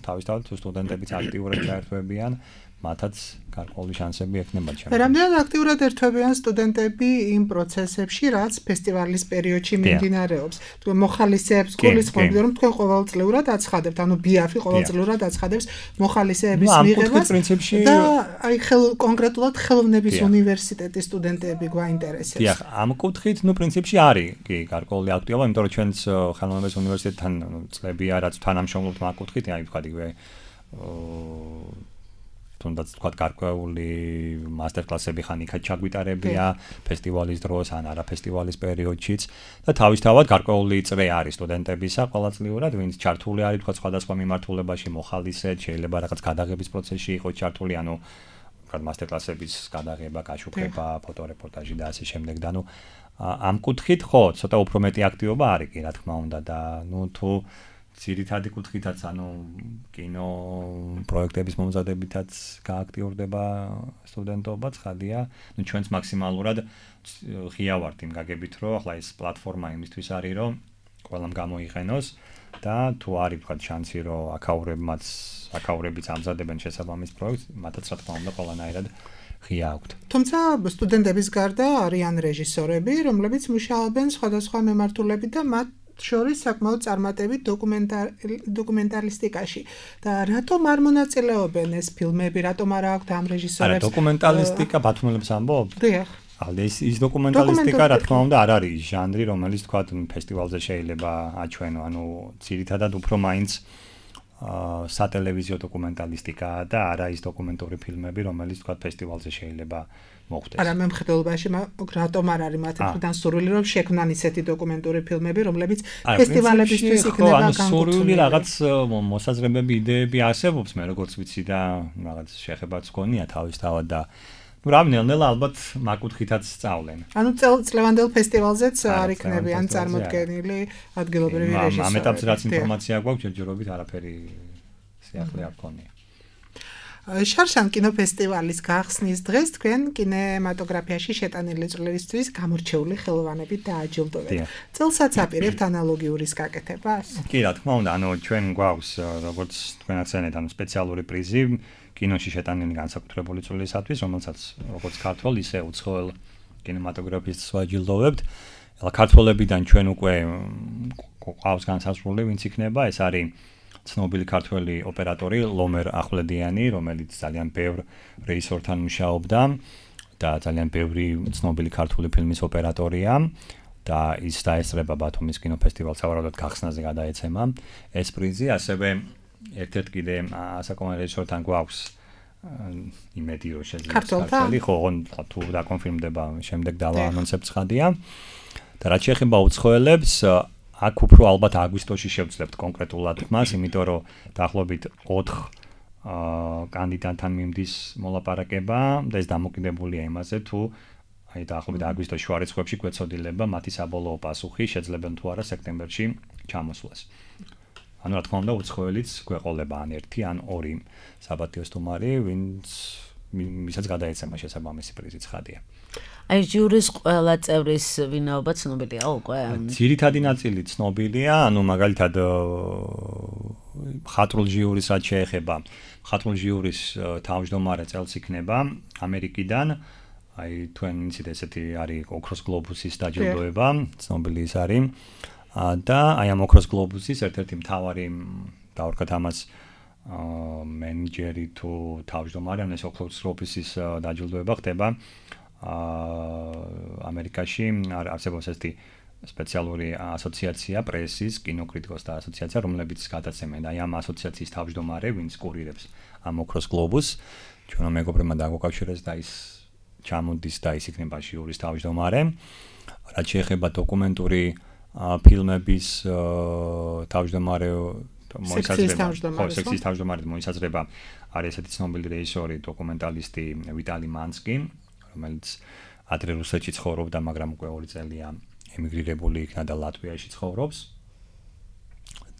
თავისთავად თუ სტუდენტებიც აქტიურად ჩაერთვებიან მათაც გარკვეული შანსები ექნება ჩემს. რამდენად აქტიურად ერთვებიან სტუდენტები იმ პროცესებში, რაც ფესტივალის პერიოდში მიმდინარეობს. თუ მოხალისეებს გულისხმობთ, რომ თქვენ ყოველწლიურად აცხადებთ, ანუ ბიაფი ყოველწლიურად აცხადებს მოხალისეების მიღებას და აი კონკრეტულად ხელოვნების უნივერსიტეტის სტუდენტები გვაინტერესებს. დიახ, ამ კუთხით, ნუ პრინციპში არის კი გარკვეული აქტივობა, იმიტომ რომ ჩვენც ხელოვნების უნივერსიტეტთან წლებია, რაც თანამშრომლობთ მაგ კუთხით, აი ვთქვათ იგივე თუნდაც თქვა გარკვეული მასტერკლასები ხან იქაც ჩაგვიტარებია ფესტივალის დროს ან არა ფესტივალის პერიოდშიც და თავისთავად გარკვეული წრე არის სტუდენტებისა ყოველწლიურად ვინც ჩართული არის თქვა სხვადასხვა მიმართულებაში მოხალისე შეიძლება რაღაც გადაღების პროცესში იყოს ჩართული ანუ თქვა მასტერკლასების გადაღება, გაშუქება, ფოტორეპორტაჟი და ასე შემდეგ და ნუ ამ კუთხით ხო ცოტა უფრო მეტი აქტივობა არის კი რა თქმა უნდა და ნუ თუ ძირითადი კუთხითაც ანუ კინო პროექტების მომზადებითაც გააქტიურდება სტუდენტობა ცხადია. ნუ ჩვენც მაქსიმალურად ღია ვართ იმ გაგებით, რომ ახლა ეს პლატფორმა იმისთვის არის, რომ ყველამ გამოიყენოს და თუ არის თქვა შანსი, რომ აკაურებმაც აკაურებიც ამზადებენ შესაბამის პროექტს, მათაც რა თქმა უნდა ყველანაირად ღია აქვთ. თუმცა სტუდენტების გარდა არიან რეჟისორები, რომლებიც მუშაობენ სხვადასხვა მიმართულებით და მათ შორის საკმაოდ წარმატებით დოკუმენტალისტიკაში და რატომ არ მონაწილეობენ ეს ფილმები, რატომ არ აქვთ ამ რეჟისორებს? არა, დოკუმენტალისტიკა ბათუმელებს ამბობ? დიახ. ალ ეს ის დოკუმენტალისტიკა რა თქმა უნდა არ არის ჟანრი, რომელიც თქვა ფესტივალზე შეიძლება აჩვენო, ანუ ძირითადად უფრო მაინც აა სატელევიზიო დოკუმენტალისტიკაა და არა ის დოკუმენტური ფილმები, რომელიც თქვა ფესტივალზე შეიძლება მოხდეს. არა, მე მხედველობაში რატომ არ არის მათ მხრიდან სურვილი რომ შექმნან ისეთი დოკუმენტური ფილმები, რომლებიც ფესტივალებისთვის იქნება განკუთვნილი. ანუ სურვილი რაღაც მოსაზრებები, იდეები არსებობს, მე როგორც ვიცი და რაღაც შეხებაც გქონია თავისთავად და ну რავნელ-ნელა ალბათ მაკუთხითაც სწავლენ. ანუ წლევანდელ ფესტივალზეც არ იქნებიან წარმოდგენილი ადგილობრივი რეჟისორები. ამ ეტაპზე რაც ინფორმაცია გვაქვს, ჯერჯერობით არაფერი სიახლე არ გქონია. შარშან კინოფესტივალის გახსნის დღეს თქვენ კინემატოგრაფიაში შეტანილი წვლილისთვის გამორჩეული ხელოვანებით დააჯილდოვეთ. წელსაც აპირებთ ანალოგიურის გაკეთებას? კი, რა თქმა უნდა, ანუ ჩვენ გვაქვს როგორც თქვენაც ცენეთ, ანუ სპეციალური პრიზი კინოში შეტანილი განსაკუთრებული წვლილისათვის, რომელსაც როგორც ქართველ, ისე უცხოელ კინემატოგრაფისტს ვაჯილდოვებთ. ეხლა ქართველებიდან ჩვენ უკვე ყავს განსაზღვრული, ვინც იქნება, ეს არის ცნობილი ქართველი ოპერატორი ლომერ ახვლედიანი, რომელიც ძალიან ბევრ რეჟისორთან მუშაობდა და ძალიან ბევრი ცნობილი ქართული ფილმის ოპერატორია და ის დაესწრება ბათუმის კინოფესტივალს სავარაუდოდ გახსნაზე გადაეცემა ეს პრიზი, ასევე ერთ-ერთ კიდე ასაკომერ რეჟისორთან გვაქვს იმედი რომ შეიძლება ქართველი, ხო, თუ დაკონფირმდება შემდეგ დავაანონსებ ცხადია. და რაც შეეხება უცხოელებს, აქ უფრო ალბათ აგვისტოში შევძლებთ კონკრეტულად მას, იმიტომ რომ დაახლოებით ოთხ კანდიდატთან მიმდის მოლაპარაკება და ეს დამოკიდებულია იმაზე, თუ აი დაახლოებით აგვისტოს შუა რიცხვებში გვეცოდილება მათი საბოლოო პასუხი, შეძლებენ თუ არა სექტემბერში ჩამოსვლას. ანუ რა თქმა უნდა, უცხოელიც გვეყოლება ან ერთი, ან ორი საპატიო სტუმარი, ვინც მისაც გადაეცემა შესაბამისი პრიზი ცხადია. აი ჟიურის ყველა წევრის ვინაობა ცნობილია უკვე? ძირითადი ნაწილი ცნობილია, ანუ მაგალითად მხატვრულ ჟიურისაც შეეხება. მხატვრულ ჟიურის თავმჯდომარე წელს იქნება ამერიკიდან. აი თქვენ იცით ესეთი არის ოქროს გლობუსის დაჯილდოება, ცნობილი ის არის. და აი ამ ოქროს გლობუსის ერთ-ერთი მთავარი დავარქათ ამას მენეჯერი თუ თავმჯდომარე, ან ეს ოქროს გლობუსის დაჯილდოება ხდება ამერიკაში არსებობს ესეთი სპეციალური ასოციაცია პრესის, კინოკრიტიკოსთა ასოციაცია, რომლებიც გადაცემენ აი ამ ასოციაციის თავმჯდომარე, ვინც კურირებს ამ ოქროს გლობუსს, ჩვენო მეგობრებმა დაგვაკავშირეს და ის ჩამოდის და ის იქნება ჟიურის თავმჯდომარე. რაც შეეხება დოკუმენტური ფილმების თავმჯდომარე მოიცადრება, სექსის თავმჯდომარე მოიცადრება არის ესეთი ცნობილი რეჟისორი, დოკუმენტალისტი ვიტალი მანსკი, რომელიც ადრე რუსეთში ცხოვრობდა, მაგრამ უკვე ორი წელია ემიგრირებული იქნა და ლატვიაში ცხოვრობს.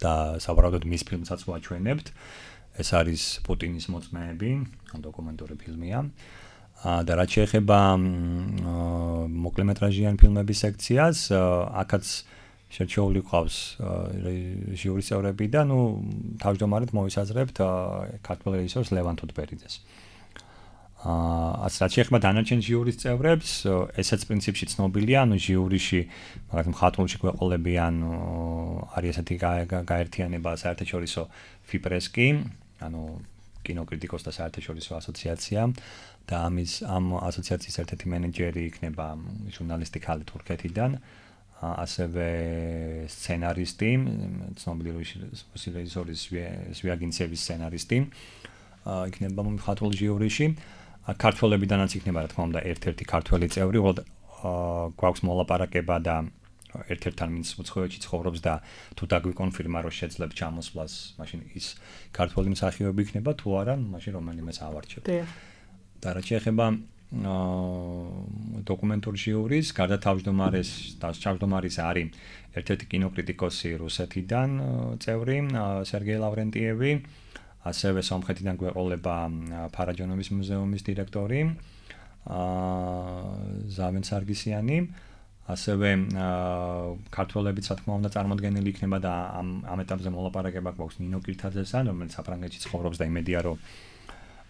და სავარაუდოდ მის ფილმსაც ვაჩვენებთ. ეს არის პუტინის მოწმეები, დოკუმენტური ფილმია. და რაც შეეხება მოკლემეტრაჟიან ფილმების სექციას, აქაც შერჩეული ყავს ჟიურის წევრები და ნუ თავმჯდომარედ მოისაზრებთ ქართველ რეჟისორს ლევან თუთბერიძეს. აა რაც შეეხება დანარჩენ ჟიურის წევრებს, ესეც პრინციპში ცნობილია, ანუ ჟიურიში, მაგალითად მხატვრულში გვეყოლებიან არის ესეთი გაერთიანება საერთაშორისო ფიპრესკი, ანუ კინოკრიტიკოსთა საერთაშორისო ასოციაცია და ამის ამ ასოციაციის ერთ-ერთი მენეჯერი იქნება ჟურნალისტი ქალი თურქეთიდან, ასევე სცენარისტი, ცნობილი რეჟისორი ზვიაგინცევის სცენარისტი იქნება მხატვრულ ჟიურიში. ქართველებიდანაც იქნება რა თქმა უნდა ერთ-ერთი ქართველი წევრი, უბრალოდ გვაქვს მოლაპარაკება და ერთ-ერთთან ვინც უცხოეთში ცხოვრობს და თუ დაგვიკონფირმა რომ შეძლებ ჩამოსვლას, მაშინ ის ქართველი მსახიობი იქნება, თუ არა, მაშინ რომელიმეს ავარჩევ. და რაც შეეხება დოკუმენტურ ჟიურის, გარდა თავმჯდომარეს, თავმჯდომარის არის ერთ-ერთი კინოკრიტიკოსი რუსეთიდან წევრი, სერგეი ლავრენტიევი. ასევე სომხეთიდან გვეყოლება ფარაჯონოვის მუზეუმის დირექტორი ზავენ სარგისიანი, ასევე ქართველებიც რა თქმა უნდა წარმოდგენილი იქნება და ამ ამ ეტაპზე მოლაპარაკება გვაქვს ნინო კირთაძესთან, რომელიც საფრანგეთში ცხოვრობს და იმედია რომ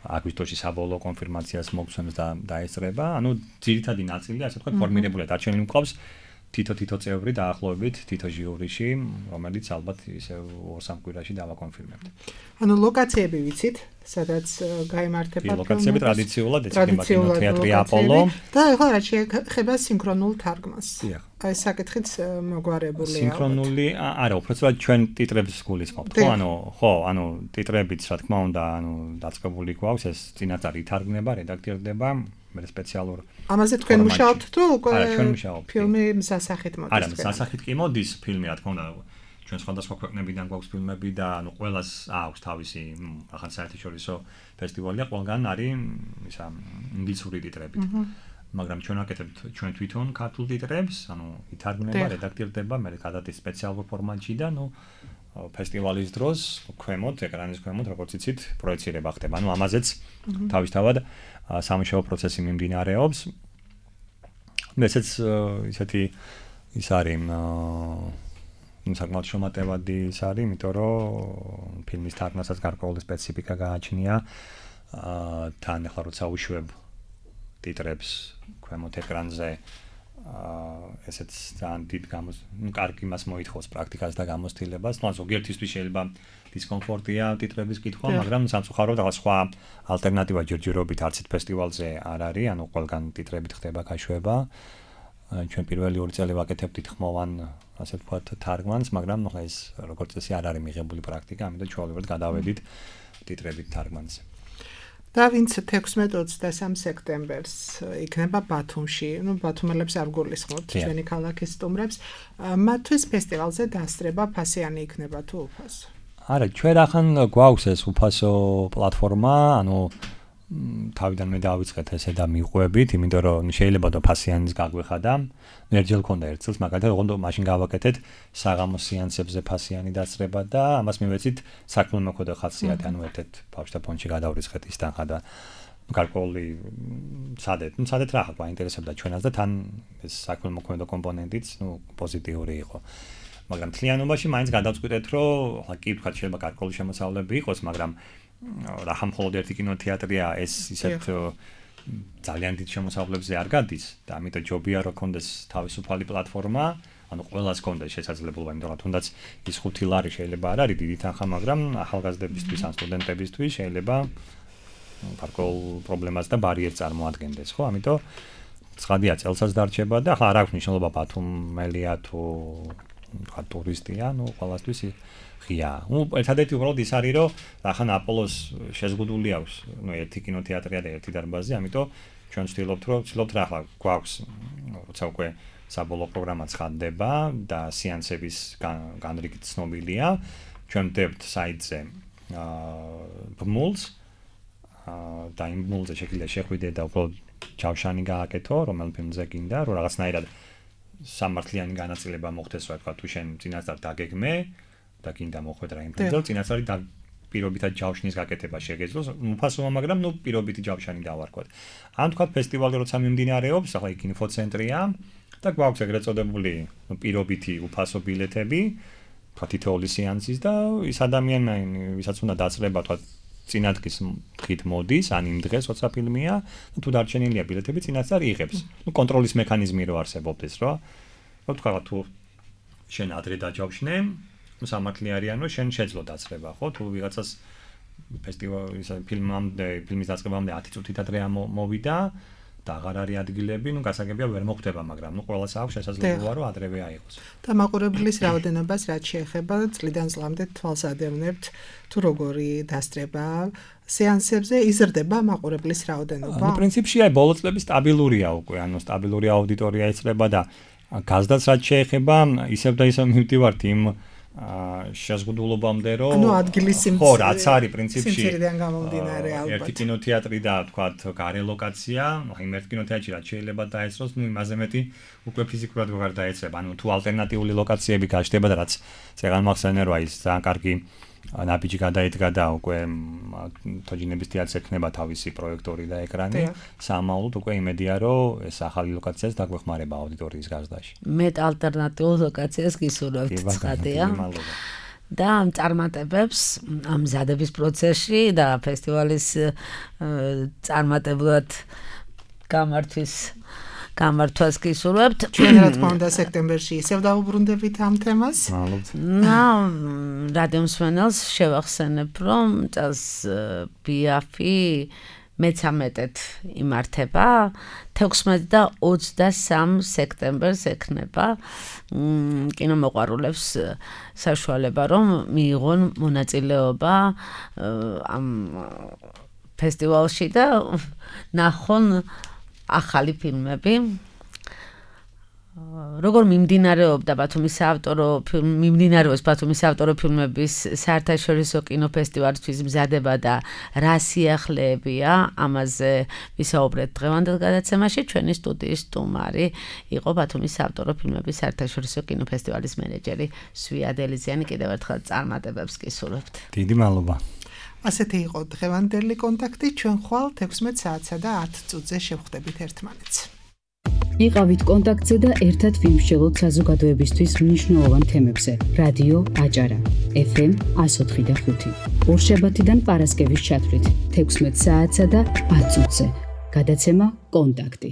აგვისტოში საბოლოო კონფირმაციას მოგცემს და დაესწრება. ანუ ძირითადი ნაწილი, ასე ვთქვათ, ფორმირებულია. დარჩენილი მყავს თითო-თითო წევრი დაახლოებით თითო ჟიურიში, რომელიც ალბათ ისე ორ-სამ კვირაში დავაკონფირმებთ. ანუ ლოკაციები ვიცით, სადაც გაიმართება ლოკაციები ტრადიციულად ეცემა კინოთეატრი აპოლო და ახლა რა შეეხება სინქრონულ თარგმანს. აი საკითხიც მოგვარებულია. სინქრონული არა, უბრალოდ ჩვენ ტიტრებს გულისხმობთ, ხო, ანუ ხო, ანუ ტიტრებიც რა თქმა უნდა, ანუ დაწყებული გვაქვს, ეს წინასწარ ითარგმნება, რედაქტირდება, მე სპეციალურ ამაზე თქვენ მუშაობთ თუ უკვე არა, ჩვენ მუშაობთ. ფილმი სასახით მოდის. არა, სასახით კი მოდის ფილმი, რა თქმა უნდა. ჩვენ სხვადასხვა ქვეყნებიდან გვაქვს ფილმები და ანუ ყველას აქვს თავისი ახალ საერთაშორისო ფესტივალია, ყველგან არის ისა ინგლისური ტიტრებით. მაგრამ ჩვენ აკეთებთ ჩვენ თვითონ ქართულ ტიტრებს, ანუ ითარგმნება, რედაქტირდება, მე გადადის სპეციალურ ფორმატში და ნუ ფესტივალის დროს ქვემოთ, ეკრანის ქვემოთ, როგორც იცით, პროექცირება ხდება. ანუ ამაზეც თავისთავად სამუშაო პროცესი მიმდინარეობს. ესეც ისეთი ის არის ну საკმაოდ შემატევადი ის არის, იმიტომ რომ ფილმის თარგმნასაც გარკვეული სპეციფიკა გააჩნია. აა თან ახლა როცა უშვებ ტიტრებს ქვემოთ ეკრანზე, აა ესეც ძალიან დიდ გამოს, ну კარგი მას მოითხოვს პრაქტიკას და გამოცდილებას. ну ზოგიერთისთვის შეიძლება დისკომფორტია ტიტრების კითხვა, მაგრამ სამწუხაროდ რაღაც სხვა ალტერნატივა ჯერჯერობით არცით ფესტივალზე არ არის, ანუ ყველგან ტიტრებით ხდება გაშვება. ჩვენ პირველი ორი წელი ვაკეთებდით ხმოვან ასე ვთქვათ თარგმანს, მაგრამ ნუ ეს როგორც წესი არ არის მიღებული პრაქტიკა, ამიტომ ჩვეულებრივად გადავედით ტიტრებით თარგმანზე. და ვინც თექვსმეტ ოცდასამ სექტემბერს იქნება ბათუმში, ну ბათუმელებს არ გულისხმობთ ჩვენი ქალაქის სტუმრებს, მათთვის ფესტივალზე დასწრება ფასიანი იქნება თუ უფასო? არა, ჩვენ ახან გვაქვს ეს უფასო პლატფორმა, ანუ თავიდან მე დავიწყეთ ესე და მიყვებით, იმიტომ რომ შეიძლება და ფასიანის გაგვეხადა. ერთხელ ქონდა ერთ წელს, მაგალითად, ოღონდ მაშინ გავაკეთეთ საღამოს სეანსებზე ფასიანი დასწრება და ამას მივეცით საქმე მოხდა ხასიათი, ანუ ერთ-ერთ ბავშვთა ფონდში გადავრიცხეთ ის თანხა და გარკვეული სადეთ, ну სადეთ რა გვაინტერესებდა ჩვენაც და თან ეს საქმე მოქმედა კომპონენტიც, ну პოზიტიური იყო. მაგრამ თლიანობაში მაინც გადავწყვიტეთ, რომ ახლა კი ვთქვათ, შეიძლება გარკვეული შემოსავლები იყოს, მაგრამ რა მხოლოდ ერთი კინოთეატრია ეს ისეთ ძალიან დიდ შემოსავლებზე არ გადის და ამიტომ ჯობია რომ კონდეს თავისუფალი პლატფორმა, ანუ ყველას კონდეს შესაძლებლობა, იმიტომ რომ თუნდაც ის ხუთი ლარი შეიძლება არ არის დიდი თანხა, მაგრამ ახალგაზრდებისთვის ან სტუდენტებისთვის შეიძლება გარკვეულ პრობლემას და ბარიერს წარმოადგენდეს, ხო? ამიტომ ცხადია წელსაც დარჩება და ახლა არ აქვს მნიშვნელობა ბათუმელია თუ თქვა ტურისტია, ну ყველასთვის ღია. ну ერთადერთი უბრალოდ ის არის რომ ახლა აპოლოს შეზღუდული აქვს, ну ერთი კინოთეატრია და ერთი დარბაზი, ამიტომ ჩვენ ვცდილობთ რომ ვცდილობთ რა ახლა გვაქვს როცა უკვე საბოლოო პროგრამა ცხადდება და სეანსების განრიგით ცნობილია, ჩვენ ვდებთ საიტზე აა ბმულს აა და იმ ბმულზე შეგვიძლია შეხვიდე და უბრალოდ ჯავშანი გააკეთო, რომელ ფილმზე გინდა, რომ რაღაცნაირად სამართლიანი განაწილება მოხდეს, რა თქვა, თუ შენ წინასწარ დაგეგმე და გინდა მოხვედრა იმ ფილმზე, წინასწარი და პირობითად ჯავშნის გაკეთება შეგეძლოს, უფასოა, მაგრამ ნუ პირობითი ჯავშანი დავარქვათ. ან თქვა ფესტივალი როცა მიმდინარეობს, ახლა იქ ინფოცენტრია და გვაქვს ეგრეთ წოდებული პირობითი უფასო ბილეთები, თქვა თითოეული სეანსის და ის ადამიანი, ვისაც უნდა დაწრება, თქვა წინადღის დღით მოდის, ან იმ დღეს როცა ფილმია, თუ დარჩენილია ბილეთები, წინასწარ იღებს. ნუ კონტროლის მექანიზმი რო არსებობდეს, რა. რო თქვა თუ შენ ადრე დაჯავშნე, სამართლი არიან, რომ შენ შეძლო დაწრება, ხო? თუ ვიღაცას ფესტივალის ფილმამდე, ფილმის დაწყებამდე ათი წუთით ადრე მოვიდა და აღარ არის ადგილები, ნუ გასაგებია ვერ მოხდება, მაგრამ ნუ ყველას აქვს შესაძლებლობა, რომ ადრევე აიღოს. და მაყურებლის რაოდენობას რაც შეეხება, წლიდან წლამდე თვალს ადევნებთ, თუ როგორი დასწრება სეანსებზე იზრდება მაყურებლის რაოდენობა? ნუ პრინციპში აი ბოლო წლები სტაბილურია უკვე, ანუ სტაბილური აუდიტორია იწრება და გაზდაც რაც შეეხება, ისევ და ისევ მივდივართ იმ აა შეზღუდულობამდე რომ ანუ ადგილის სიმცირე ხო რაც არის პრინციპში სიმცირიდან გამომდინარე ალბათ ერთი კინოთეატრი და თქვათ გარე ლოკაცია, იმ ერთ კინოთეატრში რაც შეიძლება დაეცროს, ნუ იმაზე მეტი უკვე ფიზიკურად ვეღარ დაეცრება. ანუ თუ ალტერნატიული ლოკაციები გაჩნდება და რაც წეგან მახსენე რა ის ძალიან კარგი ნაბიჯი გადაიდგა და უკვე თოჯინების თეატრს ექნება თავისი პროექტორი და ეკრანი, სამაულოდ უკვე იმედია რომ ეს ახალი ლოკაციაც დაგვეხმარება აუდიტორიის გაზრდაში. მეტ ალტერნატიულ ლოკაციას გისურვებთ, ცხადია. და ამ წარმატებებს ამ მზადების პროცესში და ფესტივალის წარმატებლად გამართვის გამართვას გისურვებთ. ჩვენ რა თქმა უნდა სექტემბერში ისევ დავუბრუნდებით ამ თემას. მადლობთ. ნა რადიო მსმენელს შევახსენებ, რომ წელს ბიაფი მეცამეტედ იმართება, თექვსმეტ და ოცდასამ სექტემბერს ექნება კინომოყვარულებს საშუალება, რომ მიიღონ მონაწილეობა ამ ფესტივალში და ნახონ ახალი ფილმები. როგორ მიმდინარეობდა ბათუმის საავტორო მიმდინარეობს ბათუმის საავტორო ფილმების საერთაშორისო კინოფესტივალისთვის მზადება და რა სიახლეებია, ამაზე ვისაუბრეთ დღევანდელ გადაცემაში. ჩვენი სტუდიის სტუმარი იყო ბათუმის საავტორო ფილმების საერთაშორისო კინოფესტივალის მენეჯერი სვია დელიზიანი. კიდევ ერთხელ წარმატებებს გისურვებთ. დიდი მადლობა. ასეთი იყო დღევანდელი კონტაქტი. ჩვენ ხვალ თექვსმეტ საათსა და ათ წუთზე შევხვდებით ერთმანეთს. იყავით კონტაქტზე და ერთად ვიმსჯელოთ საზოგადოებისთვის მნიშვნელოვან თემებზე. რადიო აჭარა ეფ ემ εκατო ოთხი და ხუთი. ორშაბათიდან პარასკევის ჩათვლით თექვსმეტ საათსა და ათ წუთზე. გადაცემა კონტაქტი.